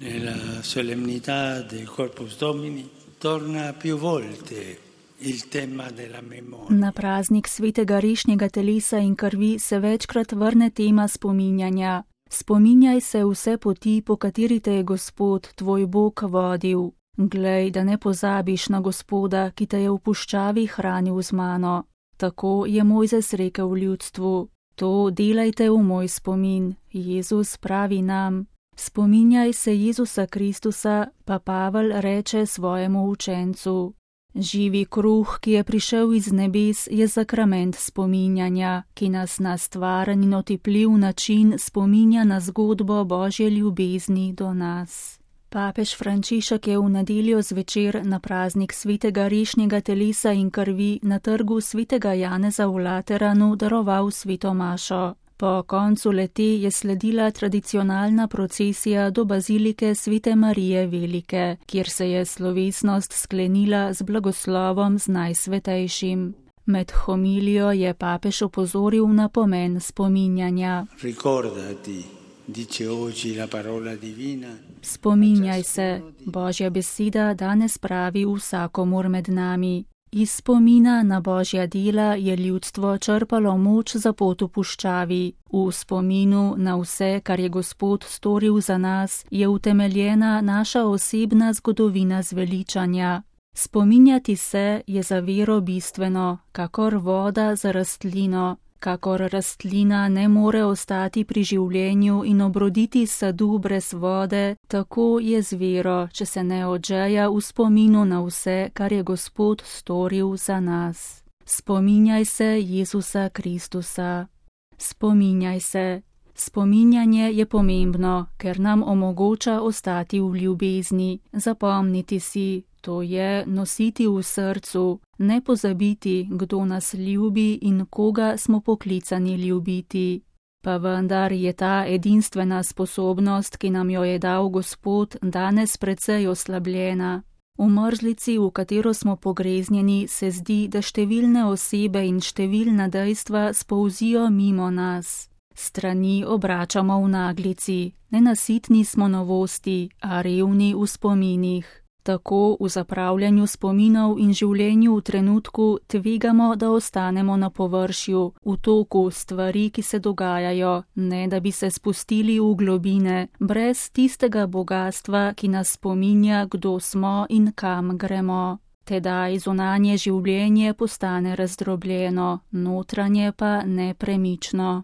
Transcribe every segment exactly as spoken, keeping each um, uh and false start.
Nella solennità del Corpus Domini torna più volte il tema della memoria. Na praznik svetega rešnjega telesa in krvi se večkrat vrne tema spominjanja. Spominjaj se vse poti, po kateri te je Gospod, tvoj Bog, vodil. Glej, da ne pozabiš na Gospoda, ki te je v puščavi hranil z mano. Tako je Mojzes rekel ljudstvu. To delajte v moj spomin. Jezus pravi nam. Spominjaj se Jezusa Kristusa, pa Pavel reče svojemu učencu. Živi kruh, ki je prišel iz nebes, je sakrament spominjanja, ki nas na stvaren in otipljiv način spominja na zgodbo Božje ljubezni do nas. Papež Frančišek je v nedeljo zvečer na praznik svetega rešnjega telesa in krvi na trgu svetega Janeza v Lateranu daroval sveto mašo. Po koncu lete je sledila tradicionalna procesija do bazilike Svete Marije Velike, kjer se je slovesnost sklenila z blagoslovom z Najsvetejšim. Med homilijo je papež opozoril na pomen spominjanja. Ricordati, dice oggi la parola divina. Spominjaj se, Božja beseda danes pravi vsakomur med nami. Iz spomina na Božja dela je ljudstvo črpalo moč za pot v puščavi. V spominu na vse, kar je Gospod storil za nas, je utemeljena naša osebna zgodovina zveličanja. Spominjati se je za vero bistveno, kakor voda za rastlino. Kakor rastlina ne more ostati pri življenju in obroditi sadu brez vode, tako je z vero, če se ne odžeja v spominu na vse, kar je Gospod storil za nas. Spominjaj se Jezusa Kristusa. Spominjaj se. Spominjanje je pomembno, ker nam omogoča ostati v ljubezni, zapomniti si, to je nositi v srcu, ne pozabiti, kdo nas ljubi in koga smo poklicani ljubiti. Pa vendar je ta edinstvena sposobnost, ki nam jo je dal Gospod, danes precej oslabljena. V mrzlici, v katero smo pogreznjeni, se zdi, da številne osebe in številna dejstva spolzijo mimo nas. Strani obračamo v naglici, nenasitni smo novosti, a revni v spominih. Tako v zapravljanju spominov in življenju v trenutku tvegamo, da ostanemo na površju, v toku stvari, ki se dogajajo, ne da bi se spustili v globine, brez tistega bogastva, ki nas spominja, kdo smo in kam gremo. Tedaj zunanje življenje postane razdrobljeno, notranje pa nepremično.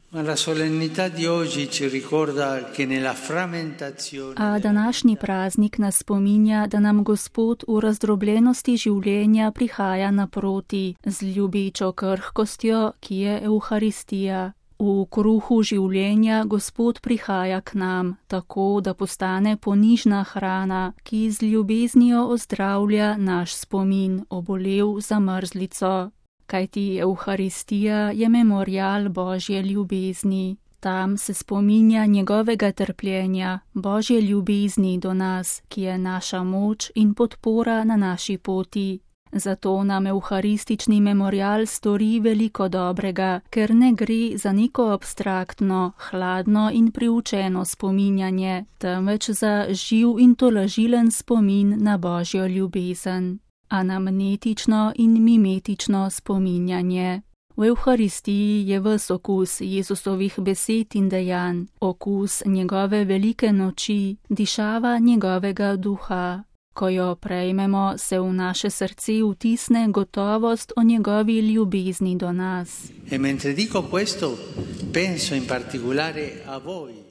A današnji praznik nas spominja, da nam Gospod v razdrobljenosti življenja prihaja naproti z ljubečo krhkostjo, ki je Evharistija. V kruhu življenja Gospod prihaja k nam, tako da postane ponižna hrana, ki z ljubeznijo ozdravlja naš spomin, obolel za mrzlico. Kajti Evharistija je memorial Božje ljubezni. Tam se spominja njegovega trpljenja, Božje ljubezni do nas, ki je naša moč in podpora na naši poti. Zato nam evharistični memorial stori veliko dobrega, ker ne gre za neko abstraktno, hladno in priučeno spominjanje, temveč za živ in tolažilen spomin na Božjo ljubezen. Anamnetično in mimetično spominjanje. V Evharistiji je ves okus Jezusovih besed in dejanj, okus njegove velike noči, dišava njegovega duha. Ko jo prejmemo, se v naše srce vtisne gotovost o njegovi ljubezni do nas.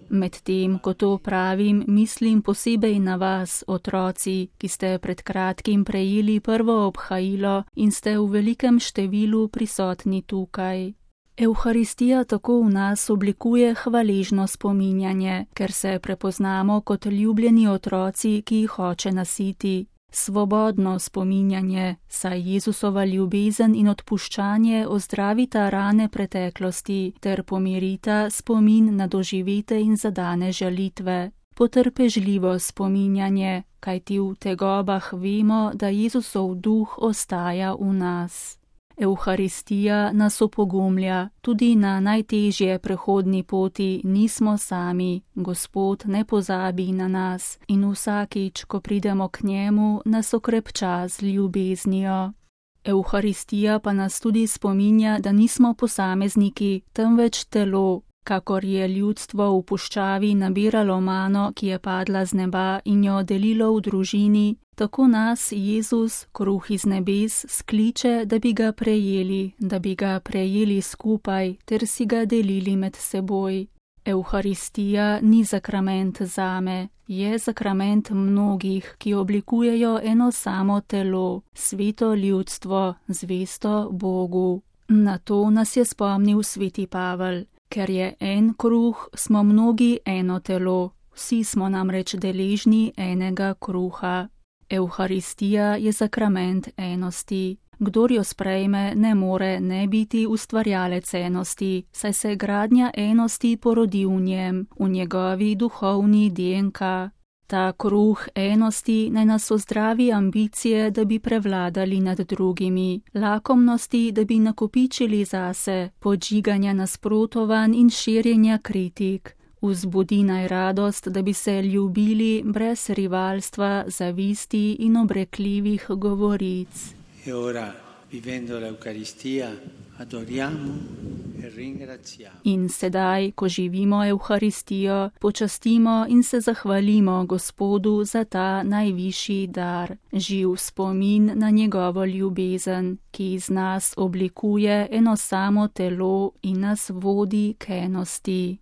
Medtem, ko to pravim, mislim posebej na vas, otroci, ki ste pred kratkim prejeli prvo obhajilo in ste v velikem številu prisotni tukaj. Evharistija tako v nas oblikuje hvaležno spominjanje, ker se prepoznamo kot ljubljeni otroci, ki jih hoče nasiti. Svobodno spominjanje, saj Jezusova ljubezen in odpuščanje ozdravita rane preteklosti ter pomirita spomin na doživete in zadane žalitve. Potrpežljivo spominjanje, kajti v tegobah vemo, da Jezusov duh ostaja v nas. Evharistija nas opogumlja, tudi na najtežje prehodni poti nismo sami, Gospod ne pozabi na nas in vsakič, ko pridemo k njemu, nas okrepča z ljubeznijo. Evharistija pa nas tudi spominja, da nismo posamezniki, temveč telo, kakor je ljudstvo v puščavi nabiralo mano, ki je padla z neba in jo delilo v družini, tako nas Jezus, kruh iz nebes, skliče, da bi ga prejeli, da bi ga prejeli skupaj ter si ga delili med seboj. Evharistija ni sakrament zame, je sakrament mnogih, ki oblikujejo eno samo telo, sveto ljudstvo, zvesto Bogu. Na to nas je spomnil sveti Pavel. Ker je en kruh, smo mnogi eno telo, vsi smo namreč deležni enega kruha. Evharistija je sakrament enosti. Kdor jo sprejme, ne more ne biti ustvarjalec enosti, saj se gradnja enosti porodi v njem, v njegovi duhovni D N K. Ta kruh enosti naj nas ozdravi ambicije, da bi prevladali nad drugimi, lakomnosti, da bi nakopičili zase, podžiganja nasprotovanj in širjenja kritik. Vzbudi naj radost, da bi se ljubili brez rivalstva, zavisti in obrekljivih govoric. E ora, vivendo l'Eucaristia, adoriamo e ringraziamo. In sedaj, ko živimo Evharistijo, počastimo in se zahvalimo Gospodu za ta najvišji dar, živ spomin na njegovo ljubezen, ki iz nas oblikuje eno samo telo in nas vodi k enosti.